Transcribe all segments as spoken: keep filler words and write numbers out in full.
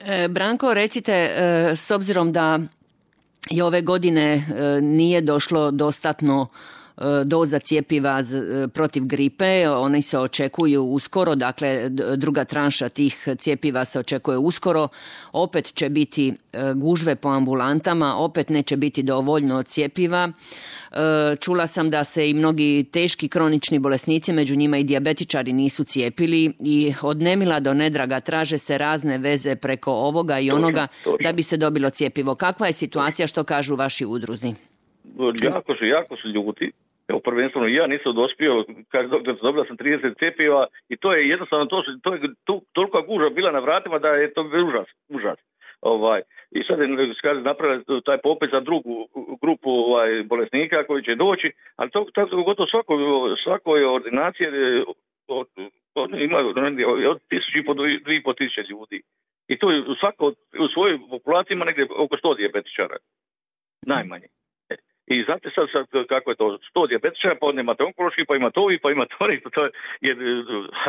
E, Branko, recite, e, s obzirom da i ove godine e, nije došlo dostatno doza cjepiva protiv gripe, oni se očekuju uskoro, dakle druga tranša tih cjepiva se očekuje uskoro, opet će biti gužve po ambulantama, opet neće biti dovoljno cjepiva. Čula sam da se i mnogi teški kronični bolesnici, među njima i dijabetičari, nisu cijepili i od nemila do nedraga traže se razne veze preko ovoga i onoga da bi se dobilo cjepivo. Kakva je situacija, što kažu vaši udruzi? Jako su, jako su ljuti. Evo, prvenstveno ja nisam dospio, kaže doktor, dobila sam trideset cjepiva i to je jednostavno, to, to je to, toliko gužva bila na vratima da je to užas. užas. Ovaj, I sad je kaže, napravili taj popis za drugu grupu ovaj, bolesnika koji će doći, ali to tako gotovo svakoj, svakoj ordinaciji od, od, ima od tisuću i po do dvije i po tisuće ljudi. I to je svako u svojoj populaciji ima negdje oko sto dijabetičara. Najmanje. I znate sad, sad kako je to, sto dijabetičara, pa onda imate onkološki, pa imate ovi, pa imate oni, pa to je, jer,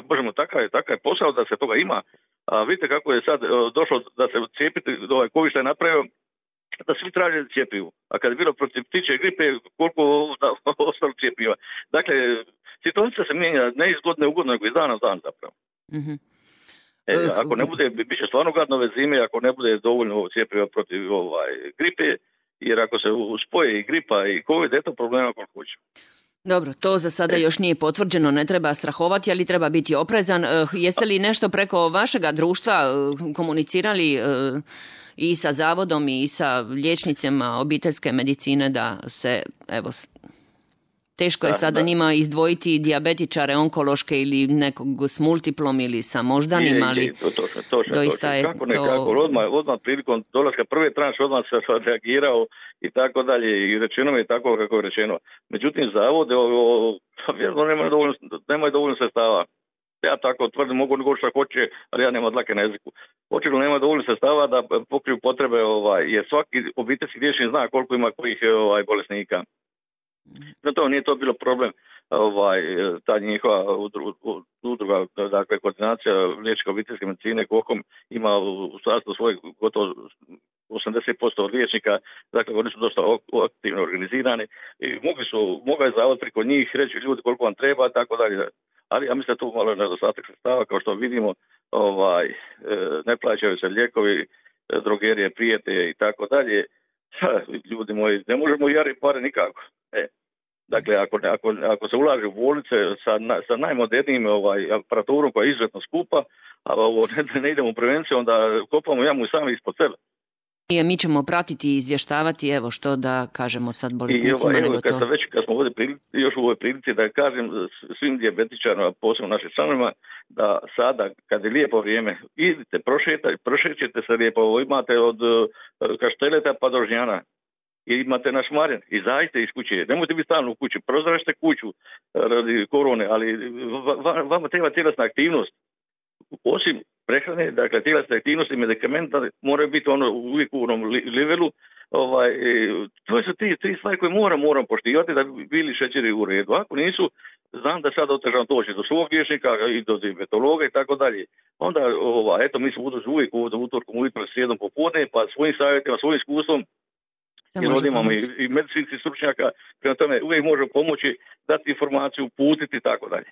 možemo, takav je, takav je posao da se toga ima. A vidite kako je sad došlo da se cijepiti, ovaj COVID što je napravio, da svi traže cijepivu. A kad je bilo protiv ptičje gripe, koliko ostalo cijepiva. Dakle, situacija se mijenja ne iz godine u godinu, nego iz dana u dan zapravo. Mm-hmm. E, ako ne bude, bit će stvarno gadno ove zime, ako ne bude dovoljno cijepiva protiv ovaj, gripe, jer ako se uspoje i gripa i COVID, eto problema koliko hoće. Dobro, to za sada još nije potvrđeno, ne treba strahovati, ali treba biti oprezan. Jeste li nešto preko vašega društva komunicirali i sa zavodom i sa liječnicima obiteljske medicine da se, evo, teško je da, sada da. njima izdvojiti dijabetičare, onkološke ili nekog s multiplom ili sa moždanim, ali to, to, to, to, doista to, je kako ne, to... Kako, odmah, odmah prilikom dolaska prve tranše odmah se reagirao i tako dalje i rečeno mi je tako kako je rečeno. Međutim, zavode vjerno nemaju dovoljno, nemaju dovoljno sredstava. Ja tako tvrdim, mogu nego što hoće, ali ja nemam dlake na jeziku. Očigledno nema dovoljno sredstava da pokriju potrebe, ovaj, jer svaki obiteljski liječnik zna koliko ima kojih ovaj, bolesnika. Zato nije to bilo problem, ovaj, ta njihova udruga, dakle koordinacija liječnika obiteljske medicine, KOHOM ima u sastavu svojeg gotovo osamdeset posto liječnika, dakle oni su dosta aktivno organizirani i mogli su, mogao je zavod preko njih reći ljudi koliko vam treba, tako dalje. Ali ja mislim da tu malo nedostatak sredstava, kao što vidimo, ovaj, ne plaćaju se lijekovi, drogerije prijete i tako dalje. Ljudi moji, ne možemo jari pare nikako. E. Dakle, ako, ako, ako se ulaže u bolnice sa, na, sa najmodernijim ovaj, aparaturom koja je izuzetno skupa, a ovo ne, ne idemo u prevenciju, onda kopamo jamu i sami ispod sebe. I mi ćemo pratiti i izvještavati, evo što da kažemo sad bolesnicima. I ovaj, nego evo, kad to... sam već, kad smo ovdje prilici, još u ovoj prilici da kažem svim dijabetičarima, posebno našim članovima, da sada, kad je lijepo vrijeme, idite, prošetajte, prošećete se lijepo, imate od Kašteleta pa do Žnjana. I imate naš Marjan, izađite iz kuće, nemojte biti stalno u kući, prozračite kuću radi korone, ali vama treba tjelesna aktivnost. Osim prehrane, dakle tjelesna aktivnost i medikamenta moraju biti ono uvijek u onom levelu. Ovaj, to su ti tri stvari koje moram, moram poštivati da bi bili šećeri u redu. Ako nisu, znam da sad otežam doći do svog liječnika i do dijabetologa i tako dalje. Onda, ovaj, eto, mi smo uvijek ovdje utorkom ujutro srijedom popodne, pa svojim savjetima, svojim iskustvom, jer ovdje imamo i, i medicinskih stručnjaka, prema tome uvijek možemo pomoći, dati informaciju, putiti i tako dalje.